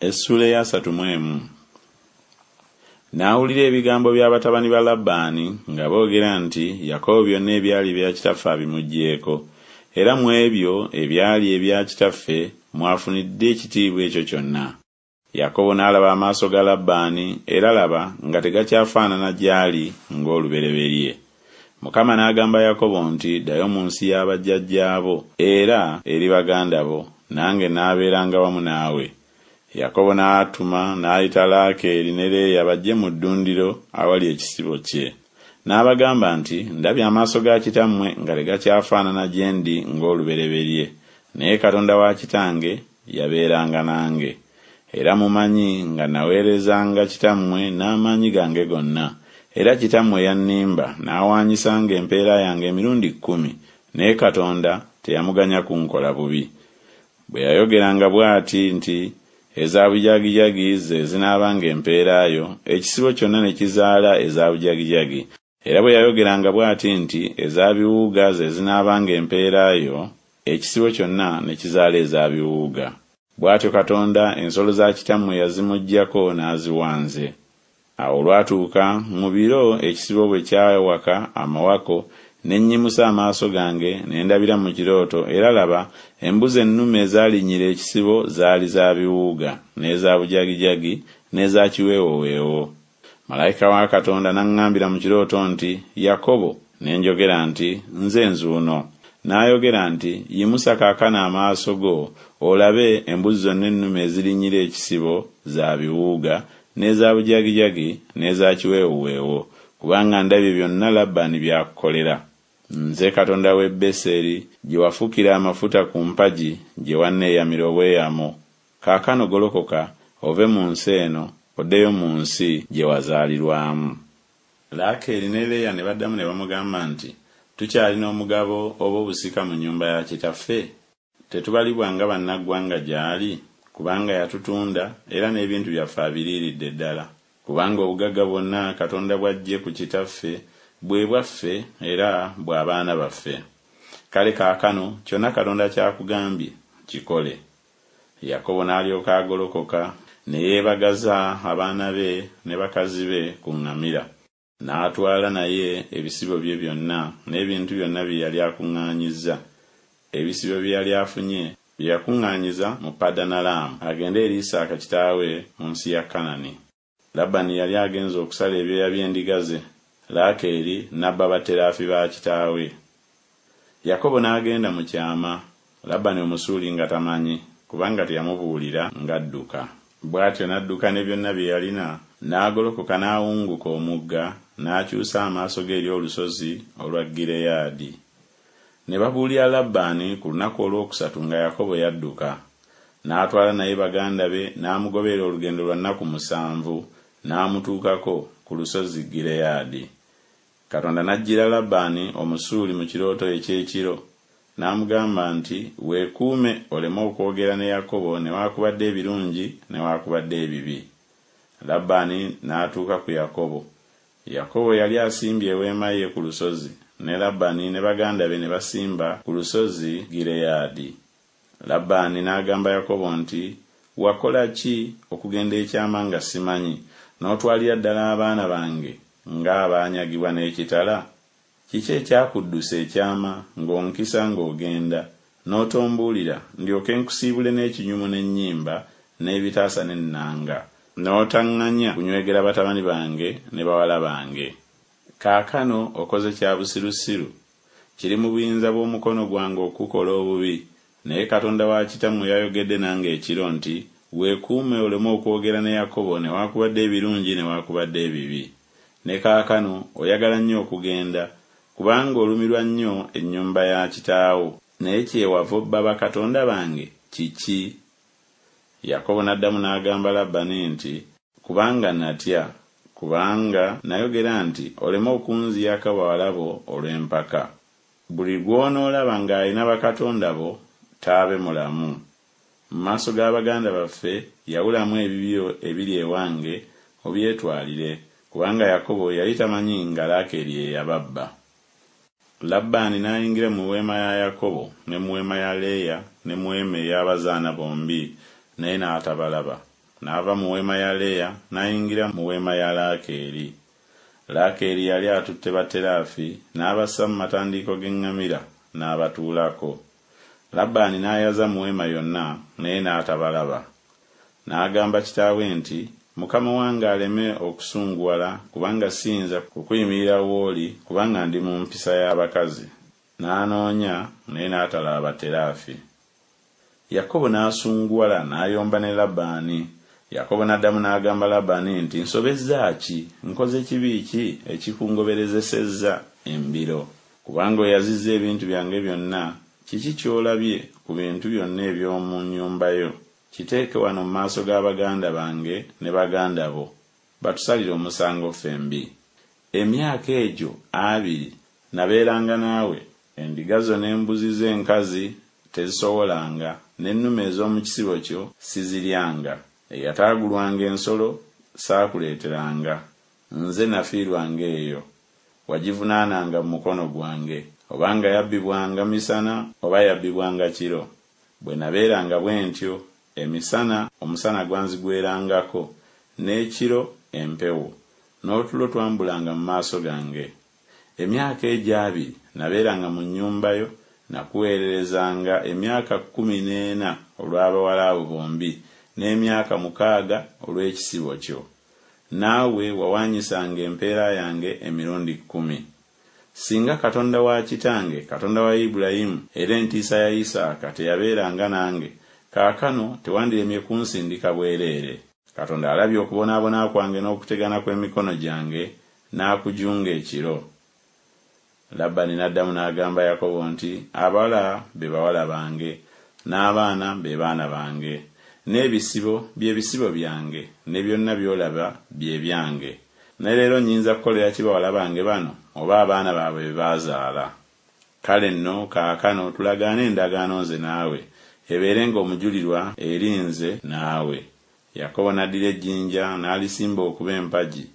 Essuula ey'asatu mu emu. N'awulira ebigambo bya batabani ba Labbaani nga boogera nti Yakobo byonna ebyali ebya kitaffe abimuggyeeko, era mu ebyo ebyali ebya kitaffe mw'afunidde ekitiibwa ekyo kyonna. Yakobo n'alaba amaaso ga Labbaani, era laba, nga tegakyafaanana gy'ali ng'olubereberye. Mukama n'agamba Yakobo nti Ddayo mu nsi ya bajjajjaabo era eri baganda bo, nange naabeeranga wamu naawe. Yakobo n'atuma n'ayita Laakeeri ne Leeya bajje mu ddundiro awali ekisibo kye. N'abagamba nti Ndabye amaaso ga kitammwe nga tegakyafaanana gye ndi ng'olubereberye, naye Katonda wa kitange yabeeranga nange. Era mumanyi nga naweerezanga kitammwe n'amaanyi gange gonna, era kitammwe yannimba n'awaanyisanga empeera yange emirundi kkumi, naye Katonda teyamuganya kunkola bubi. Bwe yayogeranga bw'ati nti Eza bujagijagi ze zinaabanga empeera yo, ekisibo kyonna ne kizaala eza bujagijagi, era bwe yayogeranga bw'ati nti Eza biwuuga ze zinaabanga empeera yo, ekisibo kyonna ne kizaala eza biwuuga. Bw'atyo Katonda ensolo za kitammwe yazimuggyako n'aziwa nze. Awo olwatuuka, mu biro ekisibo bwe kyawaka amawako, ne nnyimusa amaaso gange, ne ndabira mu kirooto, era laba, embuzi ennume ezaalinnyira ekisibo zaali za biwuuga, n'eza bujagijagi, n'eza kiweewoweewo. Malayika wa Katonda n'aŋŋambira mu kirooto nti Yakobo, ne njogera nti Nze nzuuno. N'ayogera nti Yimusa kaakano amaaso go, olabe, embuzi zonna ennume ezirinnyira ekisibo za biwuuga, n'eza bujagijagi, n'eza kiweewuweewo, kubanga ndabye byonna Labbaani by'akukolera. Nze Katonda w'e Beseri, gye wafukira amafuta ku mpagi, gye wanneeyamira obweyamo. Kaakano golokoka, ove mu nsi eno, oddeyo mu nsi gye wazaalirwamu. Laakeeri ne Leeya ne baddamu ne bamugamba nti Tukyalina omugabo oba obusika mu nnyumba ya kitaffe? Tetubalibwa nga bannaggwanga gy'ali? Kubanga yatutunda, era n'ebintu byaffe abiriiridde ddala. Kubanga obugagga bwonna Katonda bw'aggye ku kitaffe bwe bwaffe era bwa baana baffe. Kale kaakano kyonna Katonda ky'akugambye kikole. Yakobo n'alyoka agolokoka ne yeebagaza abaana be ne bakazi be ku ŋŋamira. N'atwala naye ebisibo bye byonna n'ebintu byonna bye yali akuŋŋaanyizza, ebisibo bye yali afunye, bye yakuŋŋaanyiza mu Padanalaamu, agende eri Isaaka kitaawe mu nsi ya Kanani. Labani yali agenze okusala ebyoya by'endiga ze, Laakeeri n'abba batteraafi ba kitaawe. Yakobo n'agenda mu kyama, Labani Omusuuli nga tamanyi, kubanga teyamubuulira ng'adduka. Bw'atyo n'adduka ne byonna bye yalina, n'agolokoka n'awunguka omugga, n'akyusa amaaso ge eri olusozi olwa Gireyaadi. Ne babuulira Labbaani ku lunaku olwokusatu nga Yakobo yadduka. N'atwala naye baganda be n'amugoberera olugendo lwa nnaku musanvu, n'amutuukako ku lusozi Gireyaadi. Katonda n'ajjira Labbaani Omusuuli mu kirooto eky'ekiro, n'amugamba nti Weekuume oleme okwogera ne Yakobo newakubadde ebirungi newakubadde ebibi. Labbaani n'atuuka ku Yakobo. Yakobo yali asimbye eweema ye ku lusozi, ne Labbaani ne baganda be ne basimba ku lusozi Gireyaadi. Labbaani n'agamba Yakobo nti Wakola ki okugenda ekyama nga simanyi, n'otwalira ddala abaana bange ng'abaanyagibwa n'ekitala? Kiki ekyakuddusa ekyama ng'onkisa ng'ogenda, n'otombuulira, ndyoke nkusiibule n'ekinyumu n'ennyimba n'ebitaasa n'ennanga, n'otaŋŋanya kunywegera batabani bange ne bawala bange? Kaakano okoze kya busirusiru, kiri mu buyinza bw'omukono gwange okukukola obubi, naye Katonda wa kitammwe yayogedde nange ekiro nti Weekuume oleme okwogera ne Yakobo newakubadde ebirungi newakubadde ebibi. Ne kaakano oyagala nnyo okugenda, kubanga olumirwa nnyo ennyumba ya kitaawo, naye kyewava obba bakatonda bange kiki? Yakobo n'addamu n'agamba Labani nti Kubanga natya, kubanga nayogera nti Oleme okunziyako bawala bo olw'empaka. Buli gw'onoolaba ng'alina bakatonda bo taabe mulamu. Mu maaso ga baganda baffe yawulamu ebibyo ebiri ewange obyetwalire. Kubanga Yakobo yali tamanyi nga Laakeeri ye yababba. Labbaani n'ayingira mu weema ya Yakobo ne mu weema ya Leeya ne mu weema ey'abazaana bombi, naye n'atabalaba. n'ava mu weema ya Leeya n'ayingira mu weema ya Laakeeri. Laakeeri yali atutte baterafi n'abassa mu matandiiko g'eŋŋamira n'abatuulako. Labbaani n'ayaza mu weema yonna, naye n'atabalaba. N'agamba kitaawe nti, Mukama wange aleme okusunguwala kubanga siyinza kukuyimirira w'oli kubanga ndi mu mpisa y'abakazi. N'anoonya, naye n'atalaba baterafi. Yakobo n'asunguwala n'ayomba ne Labbaani. Yakobo n'addamu n'agamba Labbaani nti, Nsobezza ki? Nkoze kibi ki ekikungoberezesezza embiro? Kubanga oyazizza ebintu byange byonna, kiki ky'olabye ku bintu byonna eby'omu nnyumba yo? Kiteeke wano mu maaso ga baganda bange ne baganda bo, batusalire omusango ffembi. Emyaka egyo abiri nabeeranga naawe, endiga zo n'embuzi zo enkazi tezisowolanga, n'ennume ez'omu kisibo kyo siziryanga. Eyataagulwanga ensolo saakuleeteranga, nze nafiirwanga eyo, wagivunaananga mu mukono gwange, oba nga yabbibwanga misana oba yabbibwanga kiro. Bwe nabeeranga bwe ntyo, emisana omusana gwanzigwerangako, n'ekiro empewo, n'otulo twambulanga mu maaso gange. Emyaka egyo abiri nabeeranga mu nnyumba yo, nakuweererezanga emyaka kkumi n'ena olw'abawala abo bombi, n'emyaka mukaaga olw'ekisibo kyo. Naawe wawaanyisanga empeera yange emirundi kkumi. Singa Katonda wa kitange, Katonda wa Ibulayimu, era entiisa ya Isaaka teyabeeranga nange, kaakano tewandiremye kunsindika bwereere. Katonda alabye okubonaabona kwange n'okutegana kw'emikono gyange, n'akujunga ekiro. Labbaani n'addamu n'agamba Yakobo nti, Abawala be bawala bange, n'abaana be baana bange, n'ebisibo bye bisibo byange, ne byonna by'olaba bye byange. Ne leero nnyinza kukolera ki bawala bange bano, oba abaana baabwe be baazaala? Kale nno kaakano tulagaane endagaano nze naawe, ebeerenga omujulirwa eri nze naawe. Yakobo n'addira ejjinja n'alisimba okuba empagi.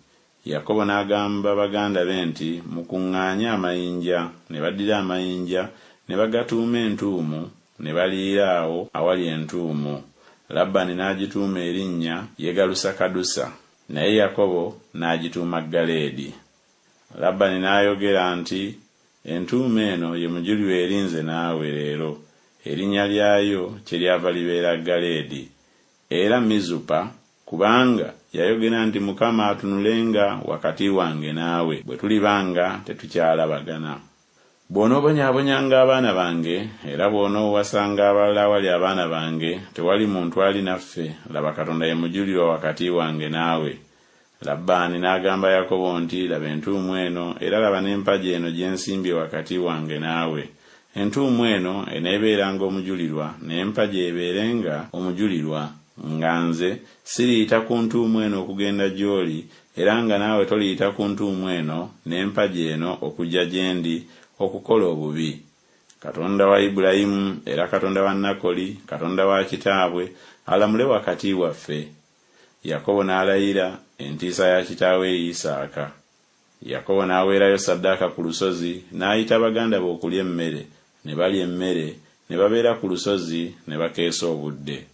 Yakobo n'agamba baganda be nti, Mukuŋŋaanye amayinja. Ne baddira amayinja ne bagatuuma entuumu, ne baliira awo awali entuumu. Labbaani n'agituuma erinnya Yegalusakadusa, naye Yakobo n'agituuma Galeedi. Labbaani n'ayogera nti, Entuumu eno ye mujulirwa eri nze naawe leero. Erinnya lyayo kyeryava libeera Galeedi. Era Mizupa, kubanga yayogera nti Mukama atunulenga wakati wange naawe, bwe tuliba nga tetukyalabagana. Bw'onoobonyaabonyanga abaana bange, era bw'onoowasanga abalala awali abaana bange, tewali muntu ali naffe, laba Katonda ye mujulirwa wakati wange naawe. Labbaani n'agamba Yakobo nti, Laba entuumu eno, era laba n'empagi eno gye nsimbye wakati wange naawe. Entuumu eno eneebeeranga omujulirwa, n'empagi ebeerenga omujulirwa, nga nze siriyita ku ntuumu eno okugenda gy'oli, era nga naawe toliyita ku ntuumu eno n'empagi eno okujja gye ndi okukola obubi. Katonda wa Ibulayimu era Katonda wa Nakoli, Katonda wa kitaabwe, alamule wakati waffe. Yakobo n'alayira entiisa ya kitaawe Isaaka. Yakobo n'aweerayo ssaddaaka ku lusozi, n'ayita baganda be okulya emmere, ne balya emmere, ne babeera ku lusozi ne bakeesa obudde.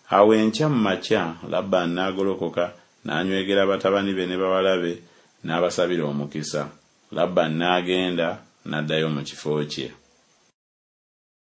Awo enkya mu makya Labbaani n'agolokoka, n'anywegera batabani be ne bawala be, n'abasabira omukisa. Labbaani n'agenda, n'addayo mu kifo kye.